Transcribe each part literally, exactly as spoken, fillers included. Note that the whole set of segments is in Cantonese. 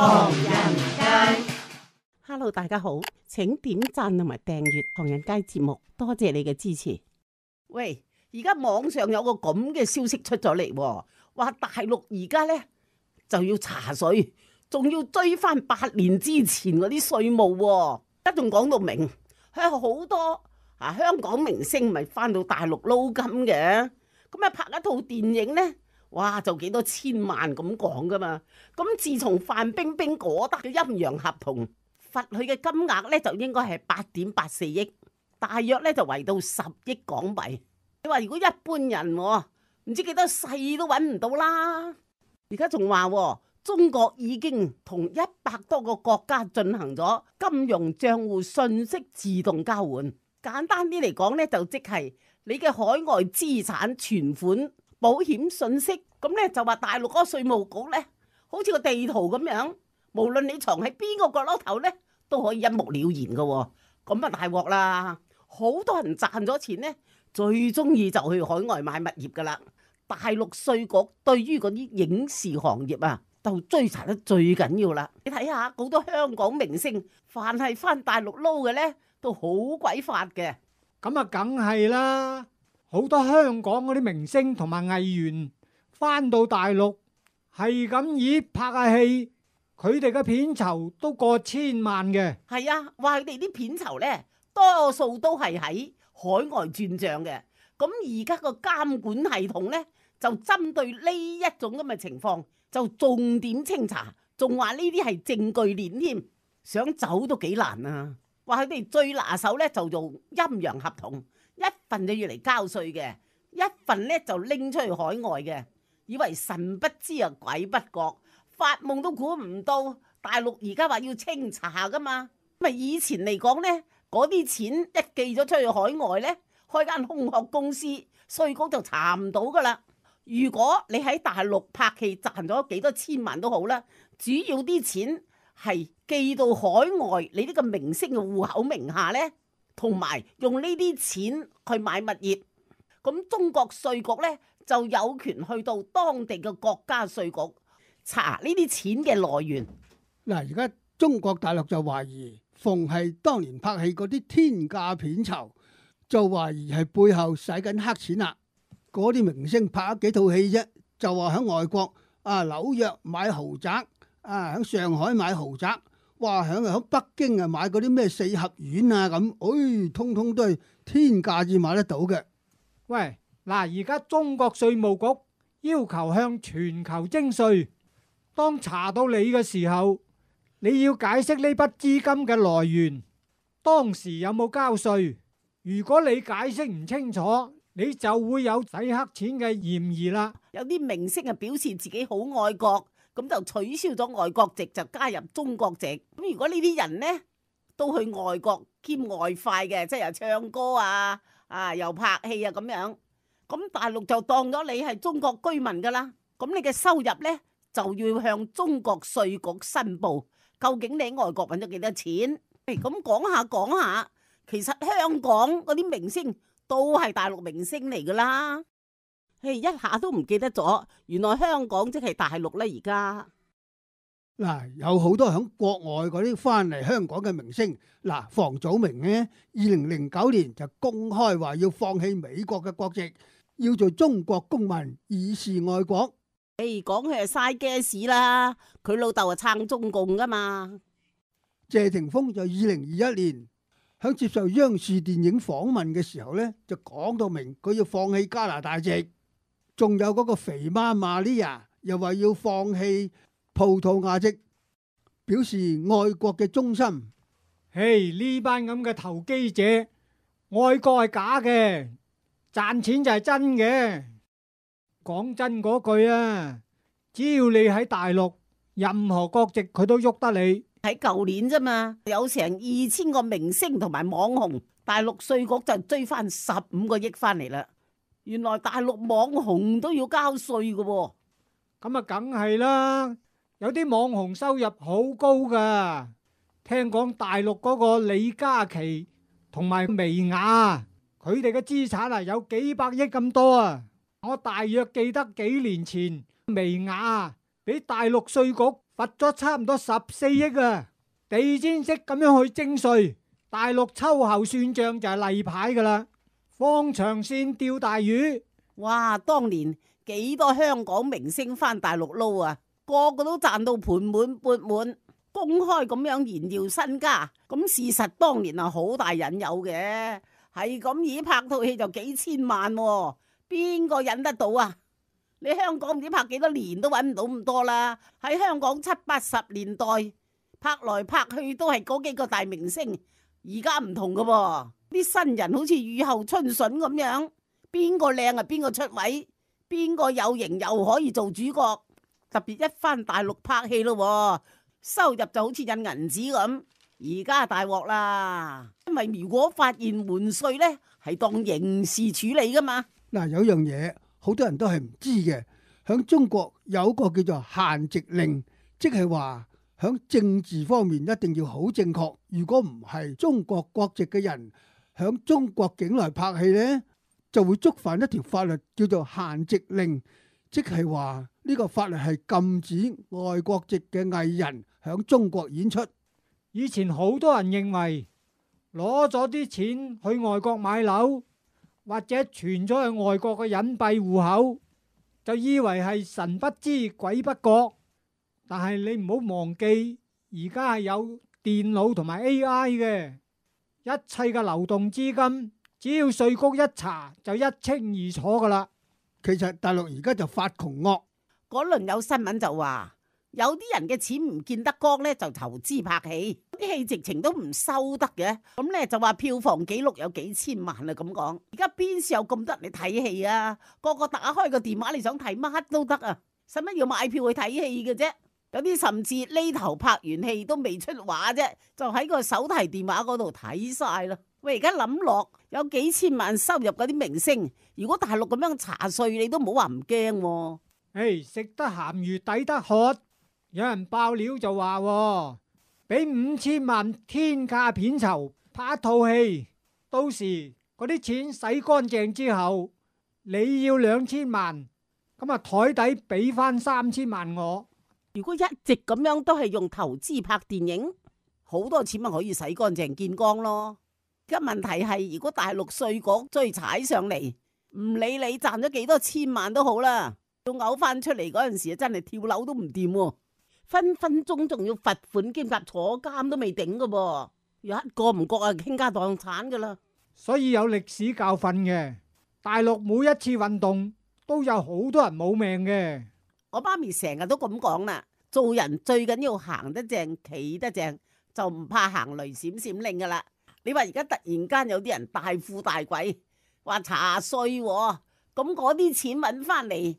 唐人街。Hello， 大家好，請點讚同埋訂閱唐人街節目，多謝你嘅支持。喂，而家網上有個咁嘅消息出咗嚟，話大陸而家呢就要查稅，仲要追翻八年之前嗰啲稅務，而家仲講到明，係好多啊香港明星咪翻到大陸撈金嘅，咁啊拍一套電影呢，哇就幾多千萬咁講噶嘛。咁自從范冰冰嗰得嘅陰陽合同，罰佢嘅金額咧就應該係八點八四億，大約咧就圍到十億港幣。你話如果一般人唔知幾多世都揾唔到啦。而家仲話中國已經同一百多個國家進行咗金融賬戶信息自動交換。簡單啲嚟講咧，就即係你嘅海外資產、存款、保險信息，咁咧就話大陸嗰個稅務局咧，好似個地圖咁樣。無論你藏喺邊個角落頭咧，都可以一目了然嘅。咁啊大鑊啦！好多人賺咗錢咧，最中意就去海外買物業噶啦。大陸稅局對於嗰啲影視行業啊，就追查得最緊要啦。你睇下好多香港明星，凡係翻大陸撈嘅咧，都好鬼發嘅。咁啊，梗係啦！好多香港嗰啲明星同埋藝員翻到大陸，係咁以拍下戲。佢哋嘅片酬都過千萬嘅。係啊，話佢哋啲片酬呢，多數都係喺海外轉賬嘅。咁而家個監管系統呢，就針對呢一種咁嘅情況，就重點清查，仲話呢啲係證據鏈添，想走都幾難啊！話佢哋最拿手呢，就用陰陽合同，一份就要嚟交稅嘅，一份呢就拎出去海外嘅，以為神不知啊鬼不覺。發夢都估唔到，大陸而家話要清查噶嘛？咪以前嚟講呢，嗰啲錢一寄咗出去海外呢，開間空殼公司，稅局就查唔到噶啦。如果你喺大陸拍戲賺咗幾多千萬都好啦，主要啲錢係寄到海外你呢個明星嘅戶口名下呢，同埋用呢啲錢去買物業，咁中國稅局呢，就有權去到當地嘅國家稅局查呢啲錢嘅來源。嗱，而家中國大陸就懷疑，逢係當年拍戲嗰啲天價片酬，就懷疑係背後使緊黑錢啦。嗰啲明星拍咗幾套戲啫，就話喺外國啊紐約買豪宅，啊喺上海買豪宅，哇喺喺北京啊買嗰啲咩四合院啊咁，哎，通通都係天價至買得到嘅。喂，嗱，而家中國稅務局要求向全球徵稅。當查到你嘅時候，你要解釋呢筆資金嘅來源，當時有冇交稅？如果你解釋唔清楚，你就會有洗黑錢嘅嫌疑啦。有啲明星啊表示自己好愛國，咁就取消咗外國籍，就加入中國籍。咁如果呢啲人呢都去外國兼外快嘅，即係又唱歌啊，啊又拍戲啊咁樣，咁大陸就當咗你係中國居民噶啦，咁你嘅收入呢，就要向中國稅局申報，究竟你喺外國揾咗幾多錢？咁講下講下，其實香港嗰啲明星都係大陸明星嚟噶啦。誒，一下都唔記得咗，原來香港即係大陸咧。而家嗱，有好多響國外嗰啲翻嚟香港嘅明星，嗱，房祖名呢，二零零九年就公開話要放棄美國嘅國籍，要做中國公民，以示愛國。誒，講佢係嘥 gas 啦，佢老豆係撐中共噶嘛。謝霆鋒就二零二一年響接受央視電影訪問嘅時候呢，就講到明佢要放棄加拿大籍。仲有嗰個肥媽 Maria 又話要放棄葡萄牙籍，表示愛國嘅忠心。嘿，呢班咁嘅投機者，愛國係假嘅，賺錢就係真嘅。講真嗰句啊，只要你喺大陸，任何國籍佢都喐得你。喺舊年啫嘛，有成二千個明星同埋網紅，大陸稅局就追翻十五個億翻嚟啦。原來大陸網紅都要交稅嘅喎。咁啊，梗係啦，有啲網紅收入好高噶。聽講大陸嗰個李嘉琪同埋薇婭，佢哋嘅資產啊有幾百億咁多啊！我大約記得幾年前薇婭俾大陸稅局罰咗差唔多十四億啊！地氈式咁樣去徵稅，大陸秋後算賬就係例牌噶啦。放長線釣大魚，哇！當年幾多香港明星返大陸撈啊，個個都賺到盆滿缽滿，公開咁樣炫耀身家。咁事實當年係好大引誘嘅，係咁以拍套戲就幾千萬喎，邊個忍得到啊？你香港唔知拍幾多年都搵唔到咁多啦。喺香港七八十年代拍來拍去都係嗰幾個大明星，而家唔同噶噃，啲新人好似雨後春筍咁樣，邊個靚啊邊個出位，邊個有型又可以做主角。特別一返大陸拍戲咯，收入就好似印銀紙咁。而家大鑊啦，因為如果發現瞞稅呢，係當刑事處理噶嘛。嗱，有樣嘢好多人都係唔知嘅，響中國有個叫做限籍令，即係話響政治方面一定要好正確。如果唔係中國國籍嘅人響中國境內拍戲呢，就會觸犯一條法律叫做限籍令，即係話呢個法律係禁止外國籍嘅藝人響中國演出。以前好多人認為攞咗啲錢去外國買樓，或者存咗去外國嘅隱蔽戶口，就以為係神不知鬼不覺。但係你唔好忘記，而家係有電腦同埋 A I 嘅，一切嘅流動資金，只要稅局一查就一清二楚噶啦。其實大陸而家就發窮惡，嗰輪有新聞就話，有啲人嘅錢唔見得光呢，就投資拍戲，啲戲直情都唔收得嘅。咁呢就話票房紀錄有幾千萬啊咁講。而家邊時有咁多人嚟睇戲啊？個個打開個電話，你想睇乜都得啊！使乜要買票去睇戲嘅啫？有啲甚至呢頭拍完戲都未出畫啫，就喺個手提電話嗰度睇晒啦。喂，而家諗落有幾千萬收入嗰啲明星，如果大陸咁樣查稅，你都唔好話唔驚。誒，食得鹹魚抵得渴。有人爆料就話，俾五千萬天價片酬拍一套戲，到時嗰啲錢洗乾淨之後，你要兩千萬，咁啊台底俾翻三千萬我。如果一直咁樣都係用投資拍電影，好多錢咪可以洗乾淨見光咯。而家問題係，如果大陸稅局追踩上嚟，唔理你賺咗幾多千萬都好啦，要嘔翻出嚟嗰陣時，真係跳樓都唔掂，分分鐘仲要罰款兼夾坐監都未頂噶噃，有一個唔覺啊，傾家蕩產噶啦。所以有歷史教訓嘅，大陸每一次運動都有好多人冇命嘅。我媽咪成日都咁講啦，做人最緊要行得正，企得正，就唔怕行雷閃閃令噶啦。你話而家突然間有啲人大富大貴，話查稅，咁嗰啲錢揾翻嚟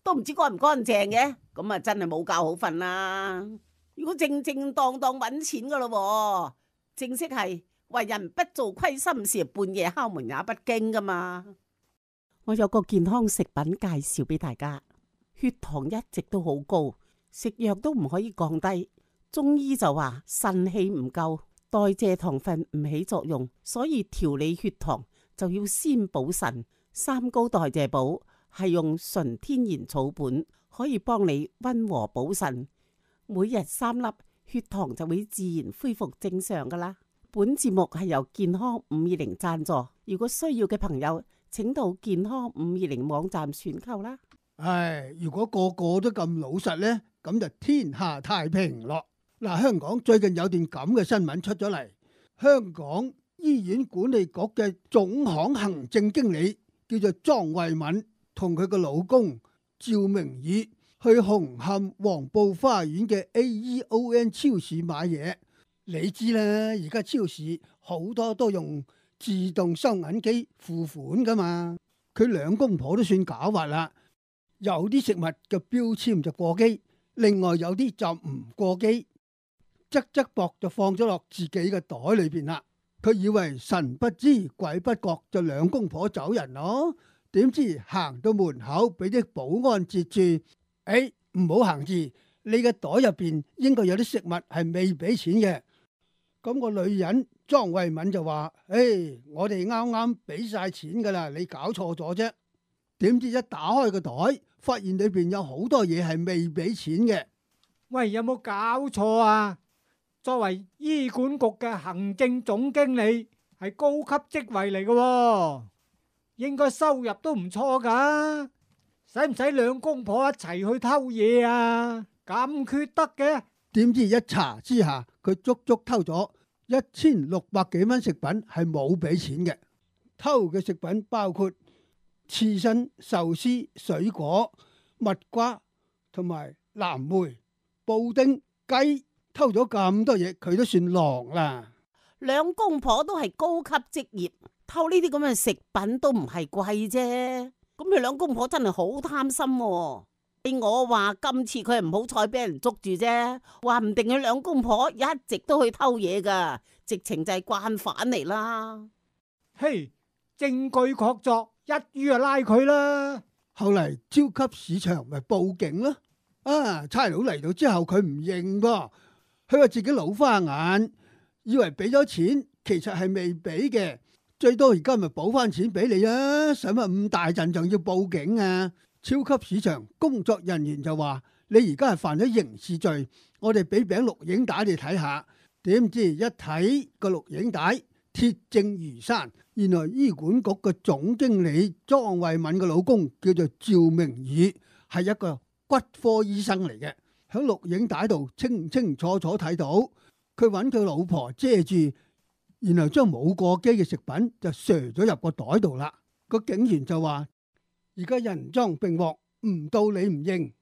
都唔知乾唔乾淨嘅，咁啊真係冇覺好瞓啦。如果正正當當揾錢噶咯，正式係為人不做虧心事，半夜敲門也不驚噶嘛。我有個健康食品介紹俾大家，血糖一直都好高，食藥都唔可以降低。中醫就話腎氣唔夠，代謝糖分唔起作用，所以調理血糖就要先補腎。三高代謝補係用純天然草本，可以幫你溫和補腎。每日三粒，血糖就會自然恢復正常噶啦。本節目係由健康五二零贊助，如果需要嘅朋友，請到健康五二零網站選購啦。唉，如果個個都咁老實呢，咁就天下太平咯。嗱，香港最近有段咁嘅新聞出咗嚟，香港醫院管理局嘅總行行政經理叫做莊慧敏，同佢個老公趙明宇去紅磡黃埔花園嘅 A E O N 超市買嘢。你知啦，而家超市好多都用自動收銀機付款噶嘛。佢兩公婆都算狡猾啦，有啲食物嘅標籤就過機，另外有啲就唔過機，側側膊就放咗落自己嘅袋裏邊啦。佢以為神不知鬼不覺，就兩公婆走人咯。點知行到門口俾啲保安截住，誒，唔好行住，你嘅袋入邊應該有啲食物係未俾錢嘅。咁個女人莊慧敏就話：誒，我哋啱啱俾晒錢噶啦，你搞錯咗啫。點知一打開個袋，發現裏邊有好多嘢係未俾錢嘅。喂，有冇搞錯啊？作為醫管局嘅行政總經理，係高級職位嚟嘅喎，應該收入都唔錯噶。使唔使兩公婆一齊去偷嘢啊？咁缺德嘅？點知一查之下，佢足足偷咗一千六百幾蚊食品，係冇俾錢嘅。偷嘅食品包括刺身、壽司、水果、蜜瓜同埋藍莓、布丁、雞。偷咗咁多嘢，佢都算狼啦。兩公婆都係高級職業，偷呢啲咁嘅食品都唔係貴啫。咁佢兩公婆真係好貪心喎。我話今次佢係唔好彩俾人捉住啫，話唔定佢兩公婆一直都去偷嘢噶，直情就係慣犯嚟啦。嘿，證據確鑿，一於就拉佢啦。後嚟超級市場咪報警咯。啊，差佬嚟到之後佢唔認噃，佢話自己老花眼，以為俾咗錢，其實係未俾嘅，最多而家咪補翻錢俾你啊！使乜咁大陣仲要報警啊？超級市場工作人員就話：你而家係犯咗刑事罪，我哋俾餅錄影帶你睇下。點知一睇個錄影帶，鐵證如山，原來醫管局嘅總經理莊慧敏嘅老公叫做趙明宇，係一個骨科醫生嚟嘅。喺錄影帶度清清楚楚睇到，佢揾佢老婆遮住，然後將冇過期嘅食品就射咗入個袋度啦。個警員就話：而家人贓並獲，唔到你唔認，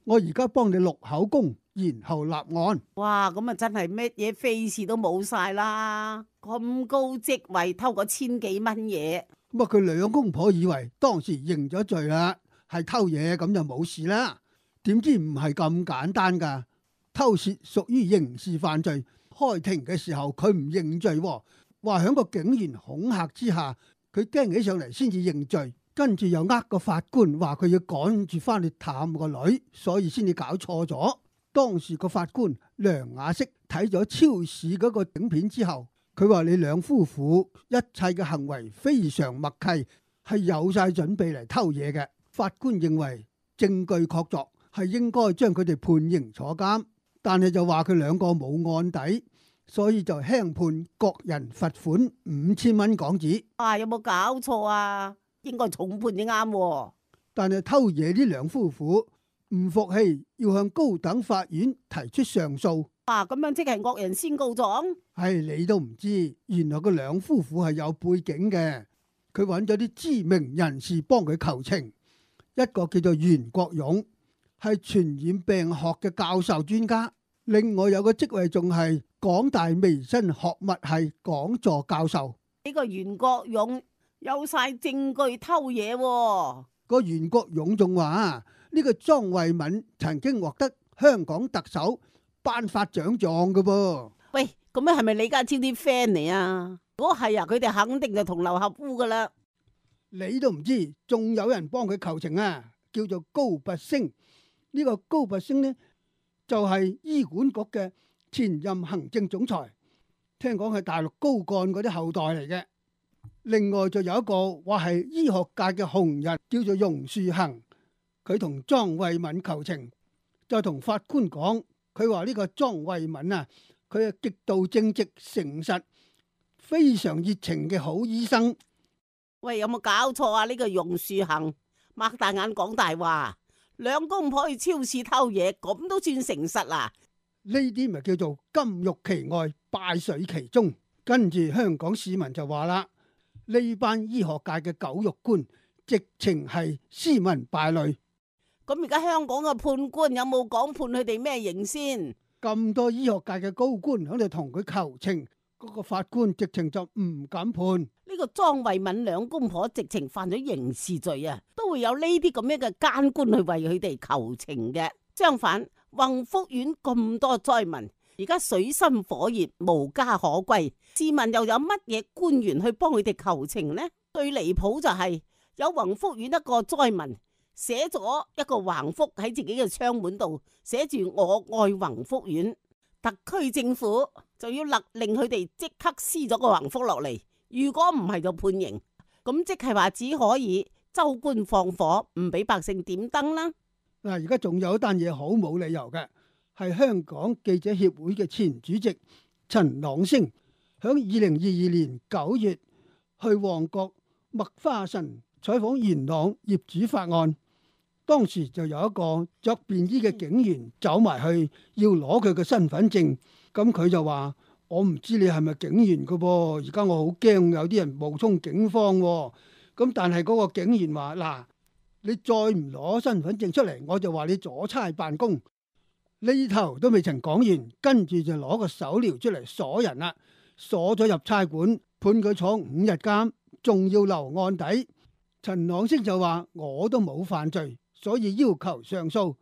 我而家幫你錄口供，然後立案。哇，咁啊真係乜嘢非事都冇晒啦！咁高職位偷個千幾蚊嘢，咁啊佢兩公婆以為當時認咗罪啦，係偷嘢咁就冇事啦。點知唔係咁簡單噶，偷竊屬於刑事犯罪。開庭嘅時候佢唔認罪，話響個警員恐嚇之下，佢驚起上嚟先至認罪。跟住又呃個法官話佢要趕住翻去探個女，所以先至搞錯咗。當時個法官梁雅釋睇咗超市嗰個影片之後，佢話你兩夫婦一切嘅行為非常默契，係有晒準備嚟偷嘢嘅。法官認為證據確鑿，係應該將佢哋判刑坐監，但係就話佢兩個冇案底，所以就輕判各人罰款五千蚊港紙。啊，有冇搞錯啊？應該重判先啱。但係偷嘢呢兩夫婦唔服氣，要向高等法院提出上訴。啊，咁樣即係惡人先告狀？係你都唔知，原來個兩夫婦係有背景嘅。佢揾咗啲知名人士幫佢求情，一個叫做袁國勇，係傳染病學嘅教授專家，另外有個職位仲係港大微生學物系講座教授。呢個袁國勇有晒證據偷嘢喎。個袁國勇仲話呢個莊慧敏曾經獲得香港特首頒發獎狀嘅噃。喂，咁樣係咪李家超啲 friend 嚟啊？如果係啊，佢哋肯定就同流合污噶啦。你都唔知，仲有人幫佢求情啊，叫做高拔陞。呢個高拔陞呢，就係醫管局嘅前任行政總裁，聽講係大陸高幹嗰啲後代嚟嘅。另外就有一個話係醫學界嘅紅人，叫做榕樹行，佢同莊慧敏求情，就同法官講，佢話呢個莊慧敏啊，佢係極度正直誠實、非常熱情嘅好醫生。喂，有冇搞錯啊？呢個榕樹行擘大眼講大話，兩公婆去超市偷嘢，咁都算誠實啦？呢啲咪叫做金玉其外，敗絮其中。跟住香港市民就話啦，呢班醫學界嘅狗肉官，直情係斯文敗類。咁而家香港嘅判官有冇講判佢哋咩刑先？咁多醫學界嘅高官喺度同佢求情，嗰個法官直情就唔敢判。呢個莊慧敏兩公婆直情犯咗刑事罪啊，都會有呢啲咁樣嘅奸官去為佢哋求情嘅。相反，宏福苑咁多災民，而家水深火熱，無家可歸，試問又有乜嘢官員去幫佢哋求情呢？最離譜就係、是、有宏福苑一個災民寫咗一個橫幅喺自己嘅窗門度，寫住我愛宏福苑，特區政府就要勒令佢哋即刻撕咗個橫幅落嚟。如果唔係就判刑，咁即係話只可以州官放火，唔俾百姓點燈啦。嗱，而家仲有一單嘢好冇理由嘅，係香港記者協會嘅前主席陳朗升，響二零二二年九月去旺角麥花臣採訪元朗業主法案，當時就有一個着便衣嘅警員走埋去要攞佢嘅身份證，咁佢就話：我唔知你係咪警員噶噃，而家我好驚有啲人冒充警方喎。咁但係嗰個警員話：嗱，你再唔攞身份證出嚟，我就話你阻差辦公。呢頭都未曾講完，跟住就攞個手鐐出嚟鎖人啦，鎖咗入差館，判佢坐五日監，仲要留案底。陳朗升就話：我都冇犯罪，所以要求上訴。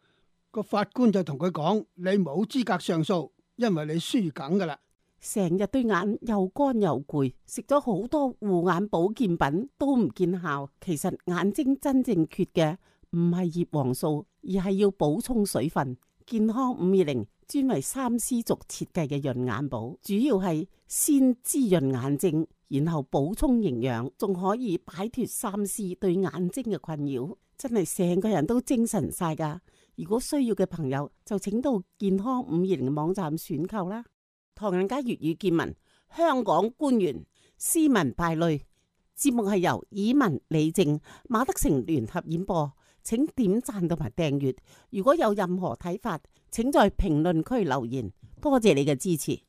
個法官就同佢講：你冇資格上訴，因為你輸梗噶啦。成日對眼又乾又攰，食咗好多護眼保健品都唔見效。其實眼睛真正缺嘅唔係葉黃素，而係要補充水分。健康五二零專為三絲族設計嘅潤眼寶，主要係先滋潤眼睛，然後補充營養，仲可以擺脫三絲對眼睛嘅困擾，真係成個人都精神晒噶。如果需要嘅朋友就請到健康五二零嘅網站選購啦。唐人街粵語見聞，香港官員斯文敗類，節目係由以文、李靜、馬德成聯合演播，請點讚同埋訂閱。如果有任何睇法，請在評論區留言。多謝你嘅支持。